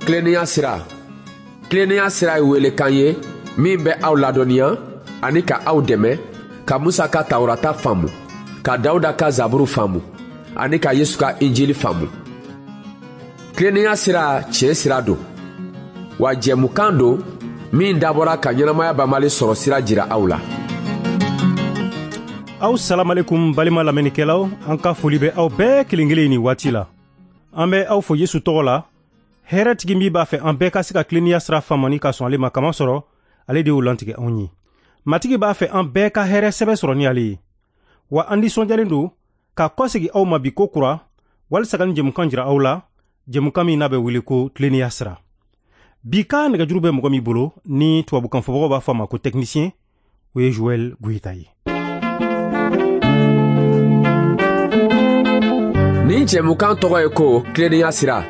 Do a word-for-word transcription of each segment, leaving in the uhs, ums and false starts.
Tilennenya sira. Tilennenya sira ye welekan ye min bɛ aw ladɔnniya ani ka aw dɛmɛ ka Musa ka Tawurata faamu, ka Dawuda ka Zaburu faamu ani ka Yesu ka Injili faamu. Tilennenya sira tiɲɛ sira don, wa jɛmukan don min dabɔra ka ɲɛnamaya banbali sɔrɔ sira jira aw la. Aw salamalekum balima lamɛnnikɛlaw, an ka foli bɛ aw bɛɛ kelen kelen nin waati la. An bɛ aw fo Yesu tɔgɔ la. Hɛrɛtigi min b'a fɛ an bɛɛ ka se ka tilennenya sira faamu ni ka sɔn ale ma, kamasɔrɔ ale de y'o lantigɛ anw ye. Matigi b'a fɛ an bɛɛ ka hɛrɛ sɛbɛ sɔrɔ ni ale ye. Wa an nisɔndiyalen don ka kɔsegi aw ma bi ko kura walisa ka nin jɛmukan jira aw la, jɛmukan min n'a bɛ wele ko tilennenya sira. Bi ka nɛgɛjuru bɛ mɔgɔ min bolo ni tubabukan fɔbagaw b'a fɔ a ma ko technicien, o ye Joël Goyita ye. Nin jɛmukan tɔgɔ ye ko tilennenya sira.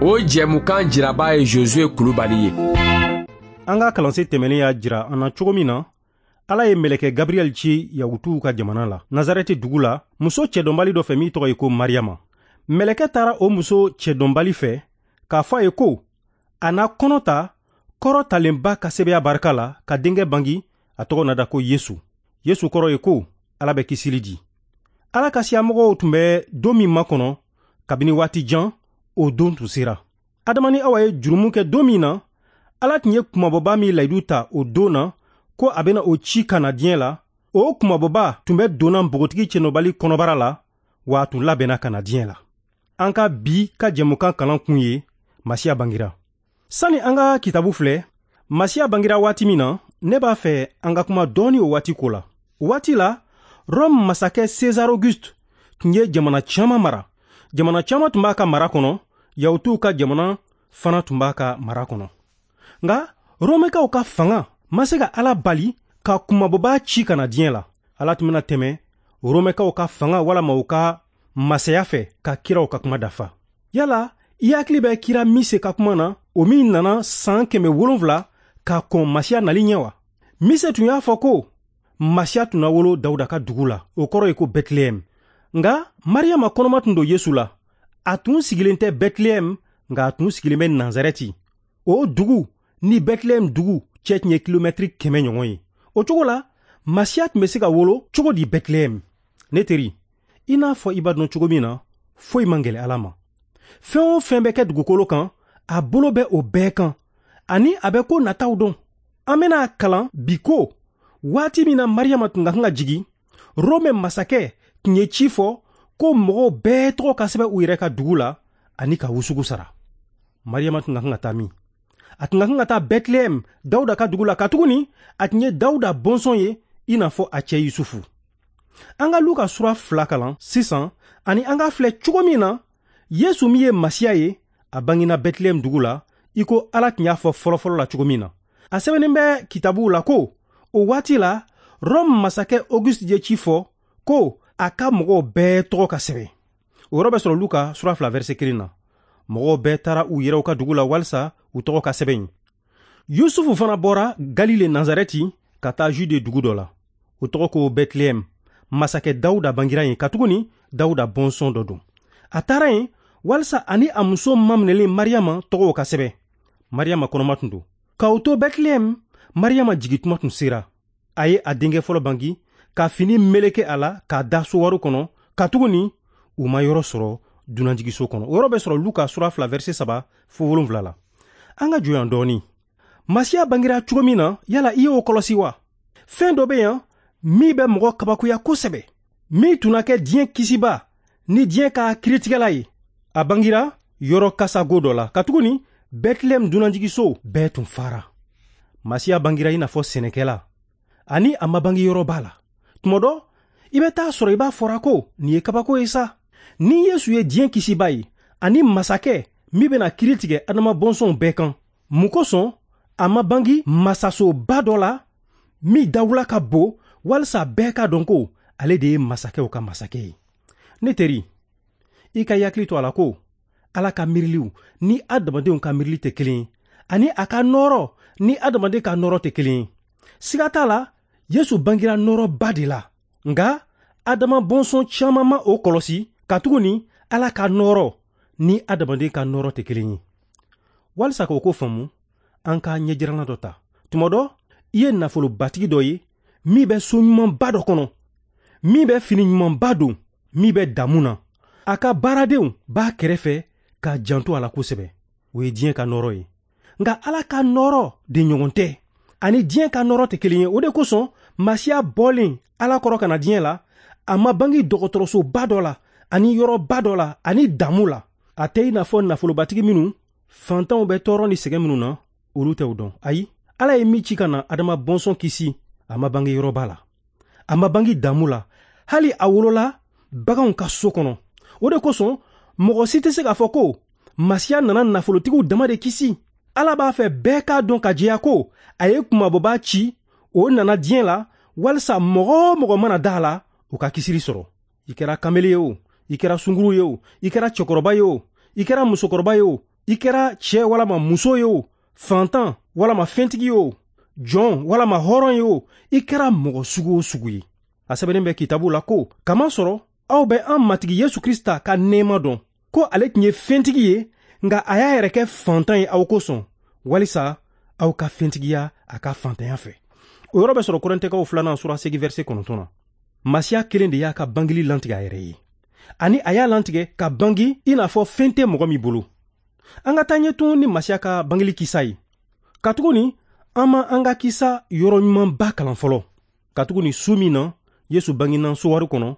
O jɛmukan jiraba ye Josué Kulubali ye. An ka kalansen tɛmɛnen y'a jira an na cogo min na Ala ye mɛlɛkɛ Gabriel ci Yahutuw ka jamana la, Nazarɛti dugu la, muso cɛdɔnbali dɔ fɛ min tɔgɔ ye ko Mariyama. Mɛlɛkɛ taara o muso cɛdɔnbali fɛ k'a fɔ a ye ko a na kɔnɔ ta kɔrɔ talenba ka sɛbɛya barika la ka denkɛ bangi, a tɔgɔ na da ko Yesu. Yesu kɔrɔ ye ko Ala bɛ kisili di. Ala ka siyamɔgɔw tun bɛ don min makɔnɔ kabini waati jan, o don tun sera. Adama ni Awa ye jurumu kɛ don min na, Ala tun ye kumabɔba min layidu ta o don na ko a bɛna o ci ka na diɲɛ la, o kumabɔba tun bɛ donna npogotigi cɛnɔbali kɔnɔbara la, wa a tun labɛnna ka na diɲɛ la. An ka bi ka jɛmukan kalan kun ye Masiya bangira. Sani an ka kitabu filɛ, Masiya bangira waati min na, ne b'a fɛ an ka kuma dɔɔni o waati ko la. O waati la, Rome masakɛ César Auguste tun ye jamana caman mara. Jamana caman tun b'a ka mara kɔnɔ, Yahutuw ka jamana fana tun b'a ka mara kɔnɔ. Nka Romɛkaw ka fanga ma se ka Ala bali ka kumabɔba ci ka na diɲɛ la. Ala tun bɛna tɛmɛ Romɛkaw ka fanga walama u ka masaya fɛ ka kiraw ka kuma dafa. Yala i hakili bɛ kira Mise ka kuma na, o min nana san kɛmɛ wolonfila ka kɔn Masiya nali ɲɛ wa? Mise tun y'a fɔ ko Masiya tun na wolo Dawuda ka dugu la, o kɔrɔ ye ko Bɛtilɛhɛm. Nka Mariyama kɔnɔma tun don Yesu la. A tun sigilen tɛ Bɛtilɛhɛm, nka a tun sigilen bɛ Nazarɛti. O dugu ni Bɛtilɛhɛm dugu cɛ tun ye kilomɛtiri kɛmɛ ɲɔgɔn ye. O cogo la, Masiya tun bɛ se ka wolo cogo di Bɛtilɛhɛm? Ne teri, i n'a fɔ i b'a dɔn cogo min na, foyi man gɛlɛn Ala ma. Fɛn o fɛn bɛ kɛ dugukolo kan, a bolo bɛ o bɛɛ kan, ani a bɛ ko nataw dɔn. An bɛna kalan bi ko waati min na Mariyama tun ka kan ka jigin, Rome masakɛ tun ye ci fɔ ko mɔgɔw bɛɛ tɔgɔ ka sɛbɛn u yɛrɛ ka dugu la ani ka wusugu sara. Mariyama tun ka kan ka taa min? A tun ka kan ka taa Bɛtilɛhɛm, Dawuda ka dugu la, katuguni a tun ye Dawuda bɔnsɔn ye i n'a fɔ a cɛ Yusufu. An ka Luka sura fila kalan sisan ani an ka filɛ cogo min na Yesu min ye Masiya ye, a bangena Bɛtilɛhɛm dugu la i ko Ala tun y'a fɔ fɔlɔfɔlɔ la cogo min na. A sɛbɛnnen bɛ kitabuw la ko o waati la Rome masakɛ Auguste ye ci fɔ ko a ka mɔgɔw bɛɛ tɔgɔ ka sɛbɛn. O yɔrɔ bɛ sɔrɔ Luka sura fila verset kelen na. Mɔgɔw bɛɛ taara u yɛrɛw ka dugu la walisa u tɔgɔ ka sɛbɛn yen. Yusufu fana bɔra Galile Nazarɛti ka taa Jude dugu dɔ la, o tɔgɔ ko Bɛtilɛhɛm. Masakɛ Dawuda bangira yen, katuguni Dawuda bɔnsɔn dɔ don. A taara yen walisa ani a muso maminɛlen Mariyama tɔgɔw ka sɛbɛn. Mariyama kɔnɔma tun don. K'o to Bɛtilɛhɛm, Mariyama jigintuma tun sera. A ye a denkɛ fɔlɔ bangi ka fini meleke a la k'a da sowari kɔnɔ, katuguni u ma yɔrɔ sɔrɔ dunanjiginso kɔnɔ. O yɔrɔ bɛ sɔrɔ Luka sura fila verset saba fo wolonfila la. An ka jɔ yan dɔɔni. Masiya bangira cogo min na, yala i y'o kɔlɔsi wa? Fɛn dɔ bɛ yan min bɛ mɔgɔ kabakoya kosɛbɛ, min tun na kɛ diɲɛ kisiba ni diɲɛ ka kiritigɛla ye. A bangira yɔrɔ kasago dɔ la, katuguni Bɛtilɛhɛm dunanjiginso bɛɛ tun fara. Masiya bangira i n'a fɔ sɛnɛkɛla, ani a ma bange yɔrɔba la. Tuma dɔ, i bɛ taa sɔrɔ i b'a fɔra ko nin ye kabako ye sa. Ni Yesu ye diɲɛ kisiba ye ani masakɛ min bɛna kiri tigɛ Adama bɔnsɔnw bɛɛ kan, mun kosɔn a ma bange masasoba dɔ la min dawula ka bon walisa bɛɛ ka dɔn ko ale de ye masakɛw ka masakɛ ye? Ne teri, i ka hakili to a la ko Ala ka miiriliw ni adamadenw ka miirili tɛ kelen ye, ani a ka nɔɔrɔ ni adamaden ka nɔɔrɔ tɛ kelen ye. Siga t'a la, Yesu bangira nɔɔrɔba de la, nka Adama bɔnsɔn caman ma o kɔlɔsi, katuguni Ala ka nɔɔrɔ ni adamaden ka nɔɔrɔ tɛ kelen ye. Walisa k'o ko faamu, an ka ɲɛjiranna dɔ ta. Tuma dɔ, i ye nafolobatigi dɔ ye min bɛ so ɲumanba dɔ kɔnɔ, min bɛ fini ɲumanba don, min bɛ damu na. A ka baaradenw b'a kɛrɛfɛ k'a janto a la kosɛbɛ. O ye diɲɛ ka nɔrɔ ye. Nka Ala ka nɔrɔ de ɲɔgɔn tɛ. Ani diɲɛ ka nɔrɔ tɛ kelen ye. O de kosɔn Masiya bɔlen Ala kɔrɔ ka na diɲɛ la, a ma bange dɔgɔtɔrɔsoba dɔ la, ani yɔrɔba dɔ la, ani damu la. A tɛ i n'a fɔ nafolobatigi minnu fantanw bɛ tɔɔrɔ ni sɛgɛn minnu na, olu tɛ o dɔn. Ayi, Ala ye min ci ka na Adama bɔnsɔn kisi, a ma bange yɔrɔba la, a ma bange damu la, hali a wolola baganw ka so kɔnɔ. O de kosɔn mɔgɔ si tɛ se k'a fɔ ko Masiya nana nafolotigiw dama de kisi. Ala b'a fɛ bɛɛ k'a dɔn ka jɛya ko a ye kunmabɔbaa ci, o nana diɲɛ la walisa mɔgɔ o mɔgɔ mana da a la, o ka kisili sɔrɔ. I kɛra kamele ye o, i kɛra sunguru ye o, i kɛra cɛkɔrɔba ye o, i kɛra musokɔrɔba ye o, i kɛra cɛ walama muso ye o, fantan walama fɛntigi ye o, jɔn walama hɔrɔn ye o, i kɛra mɔgɔ sugu o sugu ye. A sɛbɛnnen bɛ kitabu la ko kamasɔrɔ aw bɛ an Matigi Yesu Krista ka nɛɛma dɔn, ko ale tun ye fɛntigi ye, nka a y'a yɛrɛ kɛ fantan ye aw kosɔn, walisa aw ka fɛntigiya a ka fantanya fɛ. O yɔrɔ bɛ sɔrɔ Kɔrɛntɛkaw filanan sura seegin verset kɔnɔntɔn na. Masiya kelen de y'a ka bangeli lantigɛ a yɛrɛ ye, ani a y'a lantigɛ ka bangi i n'a fɔ fɛn tɛ mɔgɔ min bolo. An ka taa ɲɛ tun ni Masiya ka bangeli kisa ye. Katuguni an ma an ka kisa yɔrɔ ɲumanba kalan fɔlɔ. Katuguni su min na Yesu bangena sowari kɔnɔ,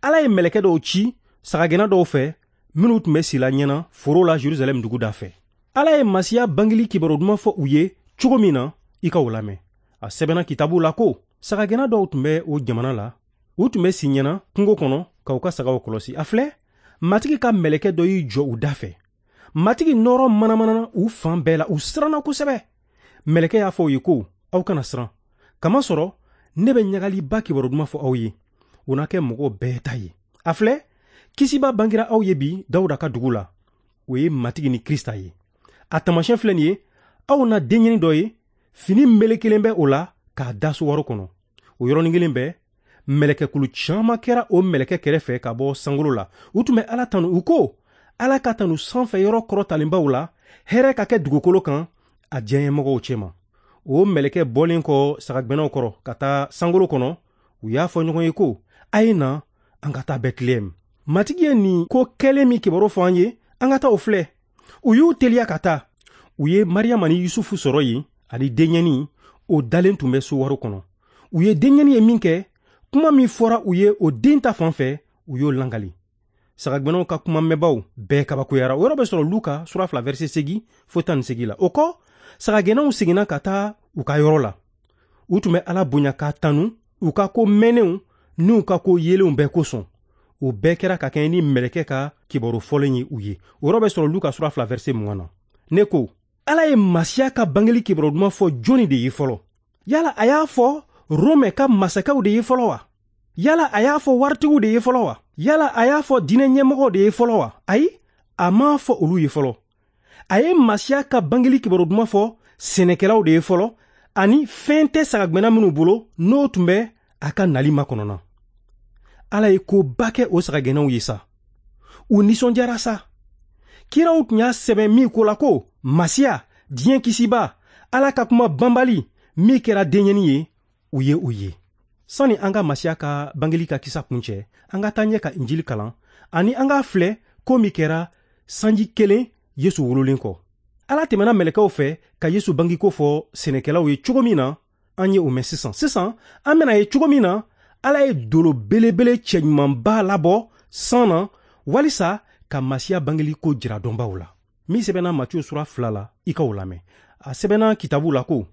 Ala ye mɛlɛkɛ dɔw ci sagagɛnna dɔw fɛ minnu tun bɛ sila ɲɛna foro la Jerusalɛm dugu da fɛ. Ala ye Masiya bangeli kibaru duman fɔ u ye cogo min na, i ka o lamɛn. A sɛbɛnna kitabu la ko sagagɛnna dɔw tun bɛ o jamana la, u tun bɛ si ɲɛna kungo kɔnɔ ka u ka sagaw kɔlɔsi. A filɛ, Matigi ka mɛlɛkɛ dɔ y'i jɔ u da fɛ. Matigi nɔɔrɔ manamanana u fan bɛɛ la, u siranna kosɛbɛ. Mɛlɛkɛ y'a fɔ u ye ko, aw kana siran, kamasɔrɔ ne bɛ ɲagaliba kibaru duman fɔ aw ye, o na kɛ mɔgɔw bɛɛ ta ye. A filɛ, kisiba bangera aw ye bi Dawuda ka dugu la, o ye Matigi ni Krista ye. A taamasiyɛn filɛ nin ye, aw na denɲɛnin dɔ ye, fini melekelen bɛ o la k'a da sowari kɔnɔ. O yɔrɔnin kelen bɛɛ, mɛlɛkɛkulu caman kɛra o mɛlɛkɛ kɛrɛfɛ ka bɔ sankolo la. U tun bɛ Ala tanu, u ko, Ala ka tanu sanfɛ yɔrɔ kɔrɔtalenbaw la, hɛrɛ ka kɛ dugukolo kan a diɲɛmɔgɔw cɛma. O mɛlɛkɛ bɔlen kɔ sagagɛnnaw kɔrɔ ka taa sankolo kɔnɔ, u y'a fɔ ɲɔgɔn ye ko, a ye na an ka taa Bɛtilɛhɛm. Matigi ye nin ko kɛlen min kibaru fɔ an ye, an ka taa o filɛ. U y'u teliya ka taa. U ye Mariyama ni Yusufu sɔrɔ yen, ani denɲɛnin, o dalen tun bɛ sowari kɔnɔ. U ye denɲɛnin ye min kɛ, kuma min fɔra u ye o den ta fan fɛ, u y'o langali. Sagagɛnnaw ka kuma mɛnbaw bɛɛ kabakoyara. O yɔrɔ bɛ sɔrɔ Luka sura fila verset seegin fo tan ni seegin la. O kɔ, sagagɛnnaw seginna ka taa u ka yɔrɔ la. U tun bɛ Ala bonya k'a tanu u ka ko mɛnnenw n'u ka ko yelenw bɛɛ kosɔn. O bɛɛ kɛra ka kɛɲɛ ni mɛlɛkɛ ka kibaru fɔlen ye u ye. O yɔrɔ bɛ sɔrɔ Luka sura fila verset mugan na. Ne ko, Ala ye Masiya ka bangeli kibaru duman fɔ jɔnni de ye fɔlɔ? Yala a y'a fɔ Romɛ ka masakɛw de ye fɔlɔ wa? Yala a y'a fɔ waritigiw de ye fɔlɔ wa? Yala a y'a fɔ diinɛ ɲɛmɔgɔw de ye fɔlɔ wa? Ayi, a m'a fɔ olu ye fɔlɔ. A ye Masiya ka bangeli kibaru duman fɔ sɛnɛkɛlaw de ye fɔlɔ, ani fɛn tɛ sagagɛnna minnu bolo n'o tun bɛ a ka nali makɔnɔna. Ala ye koba kɛ o sagagɛnnaw ye sa. U nisɔndiyara sa. Kiraw tun y'a sɛbɛn min ko la ko Masiya, diɲɛ kisiba, Ala ka kuma banbali min kɛra denɲɛnin ye, u ye o ye. Sani an ka Masiya ka bangeli ka kisa kuncɛ, an ka taa ɲɛ ka Injili kalan, ani an k'a filɛ ko min kɛra sanji kelen Yesu wololen kɔ. Ala tɛmɛna mɛlɛkɛw fɛ ka Yesu bangeko fɔ sɛnɛkɛlaw ye cogo min na, an ye o mɛn sisan. Sisan, an bɛna ye cogo min na Ala ye dolo belebele cɛɲumanba labɔ san na walisa ka Masiya bangeli ko jira dɔnbaw la. Min sɛbɛnna Matiyu sura fila la, i ka o lamɛn. A sɛbɛnna kitabu la ko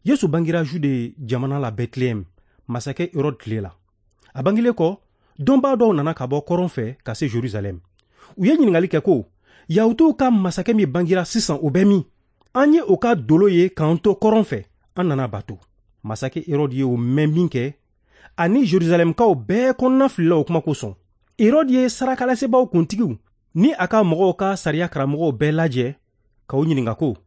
Yesu bangira Jude jamana la Bɛtilɛhɛm, masakɛ Herode tile la. A bangelen kɔ, dɔnbaa dɔw nana ka bɔ kɔrɔn fɛ ka se Jerusalɛm. U ye ɲininkali kɛ ko, Yahutuw ka masakɛ min bangira sisan, o bɛ min? An ye o ka dolo ye k'an to kɔrɔn fɛ, an nana bato. Masakɛ Herode ye o mɛn min kɛ, ani Jerusalɛmkaw bɛɛ kɔnɔna filila o kuma kosɔn. Herode ye sarakalasebaaw kuntigiw ni a ka mɔgɔw ka sariya karamɔgɔw bɛɛ lajɛ k'u ɲininka ko,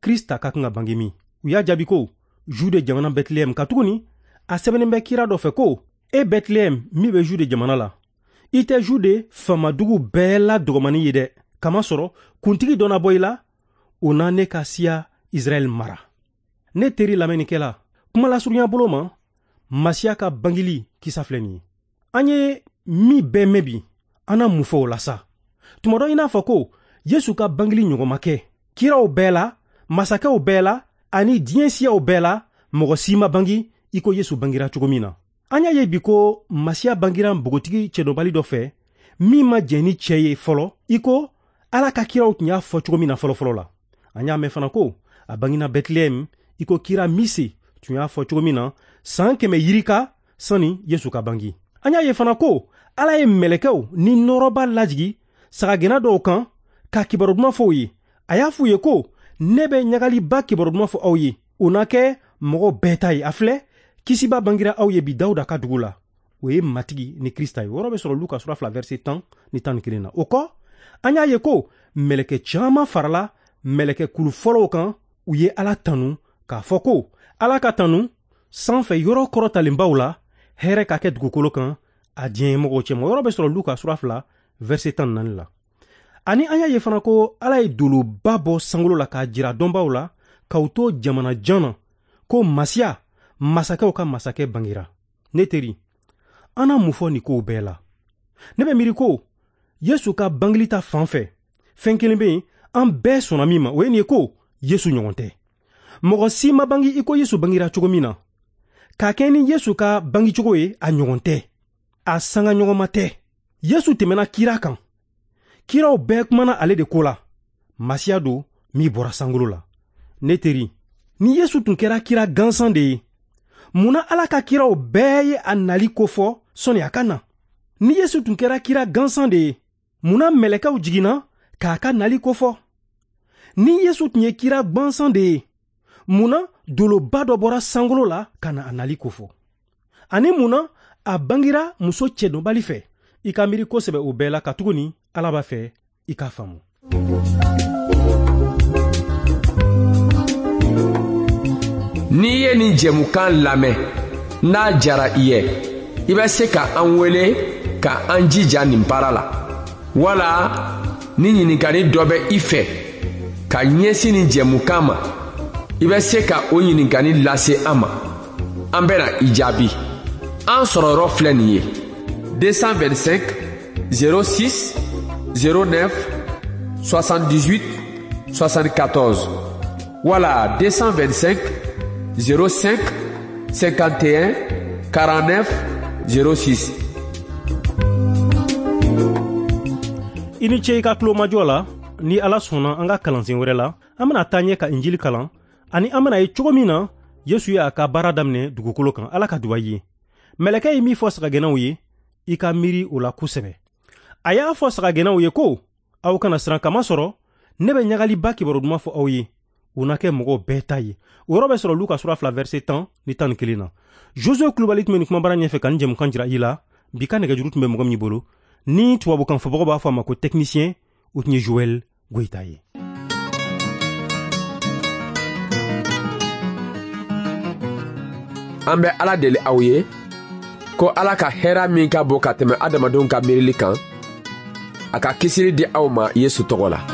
Krista ka kan ka bange min? U y'a jaabi ko, Jude jamana Bɛtilɛhɛm, katuguni a sɛbɛnnen bɛ kira dɔ fɛ ko, e Bɛtilɛhɛm min bɛ Jude jamana la, i tɛ Jude faamadugu bɛɛ la dɔgɔmani ye dɛ, kamasɔrɔ kuntigi dɔ na bɔ i la, O na ne ka siya Israɛl mara. Ne teri lamɛnnikɛla, kuma lasurunya bolo ma, Masiya ka bangeli kisa filɛ nin ye. An ye min bɛɛ mɛn bi, an na mun fɔ o la sa? Tuma dɔ i n'a fɔ ko Yesu ka bangeli ɲɔgɔn ma kɛ. Kiraw bɛɛ la, masakɛw bɛɛ la, ani diɲɛ siyaw bɛɛ la, mɔgɔ si ma bangi i ko Yesu bangira cogo min na. An y'a ye bi ko Masiya bangira npogotigi cɛdɔnbali dɔ fɛ, min ma jɛn ni cɛ ye fɔlɔ, i ko Ala ka kiraw tun y'a fɔ cogo min na fɔlɔfɔlɔ la. An y'a mɛn fana ko a bangina Bɛtilɛhɛm, i ko kira Mise tun y'a fɔ cogo min na san kɛmɛ yirika sani Yesu ka bangi. An y'a ye fana ko Ala ye mɛlɛkɛw ni nɔrɔba lajigi sagagɛnna dɔw kan ka kibaru duman fɔ u ye. A y'a f'u ye ko ne bɛ ɲagaliba kibaru duman fɔ aw ye, o na kɛ mɔgɔ bɛɛ ta ye. A filɛ, kisiba bangira aw ye bi Dawuda ka dugu la, o ye Matigi ni Krista ye. O yɔrɔ bɛ sɔrɔ Luka sura fila verset tan ni tan ni kelen na. O kɔ, an y'a ye ko mɛlɛkɛ caman farala mɛlɛkɛ kulu fɔlɔw kan, u ye Ala tanu k'a fɔ ko Ala ka tanu sanfɛ yɔrɔ kɔrɔtalenbaw la, hɛrɛ ka kɛ dugukolo kan a diɲɛ mɔgɔw cɛma. O yɔrɔ bɛ sɔrɔ Luka sura fila verset tan ni naani la. Ani an y'a ye fana ko Ala ye doloba bɔ sankolo la k'a jira dɔnbaw la k'aw to jamana jan na ko Masiya, masakɛw ka masakɛ bangira. Ne teri, an na mun fɔ nin kow bɛɛ la? Ne bɛ miiri ko Yesu ka bangeli ta fan fɛ, fɛn kelen bɛ yen an bɛɛ sɔnna min ma, o ye nin ye ko Yesu ɲɔgɔn tɛ. Mɔgɔ si ma bangi i ko Yesu bangira cogo min na. K'a kɛ ni Yesu ka bangicogo ye, a ɲɔgɔn tɛ, a sanga ɲɔgɔnma tɛ. Yesu tɛmɛna kira kan. Kiraw bɛɛ kumana ale de ko la. Masiya don min bɔra sankolo la. Ne teri, ni Yesu tun kɛra kira gansan de ye, mun na Ala ka kiraw bɛɛ ye a nali kofɔ sɔnni a ka na? Ni Yesu tun kɛra kira gansan de ye, mun na mɛlɛkɛw jiginna k'a ka nali kofɔ? Ni Yesu tun ye kira gansan de ye, mun na doloba dɔ bɔra sankolo la ka na a nali kofɔ? Ani mun na a bangira muso cɛdɔnbali fɛ? I ka miiri kosɛbɛ o bɛɛ la, katuguni Ala b'a fɛ i k'a faamu. N'i ye nin jɛmukan lamɛn, n'a diyara i ye, i bɛ se ka an wele ka an jija nin baara la. Wala ni ɲininkali dɔ bɛ i fɛ ka ɲɛsin nin jɛmukan ma, i bɛ se ka o ɲininkali lase an ma. An bɛna i jaabi. An sɔrɔyɔrɔ filɛ nin ye: deux cent vingt-cinq zéro six zéro neuf soixante-dix-huit soixante-quatorze wala deux cent vingt-cinq zéro cinq cinquante et un quarante-neuf zéro six. I ni ce i ka tulomajɔ la. Ni Ala sɔnna, an ka kalansen wɛrɛ la, an bɛna taa ɲɛ ka Injili kalan, ani an bɛna ye cogo min na Yesu y'a ka baara daminɛ dugukolo kan. Ala ka duba i ye. Mɛlɛkɛ ye min fɔ sagagɛnnaw ye, i ka miiri o la kosɛbɛ. A y'a fɔ sagagɛnnaw ye ko aw kana siran, kamasɔrɔ ne bɛ ɲagaliba kibaru duman fɔ aw ye, o na kɛ mɔgɔw bɛɛ ta ye. O yɔrɔ bɛ sɔrɔ Luka sura fila verset tan ni tan ni kelen na. Josue Kulubali tun bɛ nin kumabara ɲɛfɛ ka nin jɛmukan jira i la. Bi ka nɛgɛjuru tun bɛ mɔgɔ min bolo, ni tubabukan fɔbagaw b'a fɔ a ma ko technicien, o tun ye Joël Goïta ye. An bɛ Ala deli aw ye ko Ala ka hɛrɛ min ka bon ka tɛmɛ adamadenw ka miirili kan, a ka kisili di aw ma Yesu tɔgɔ la.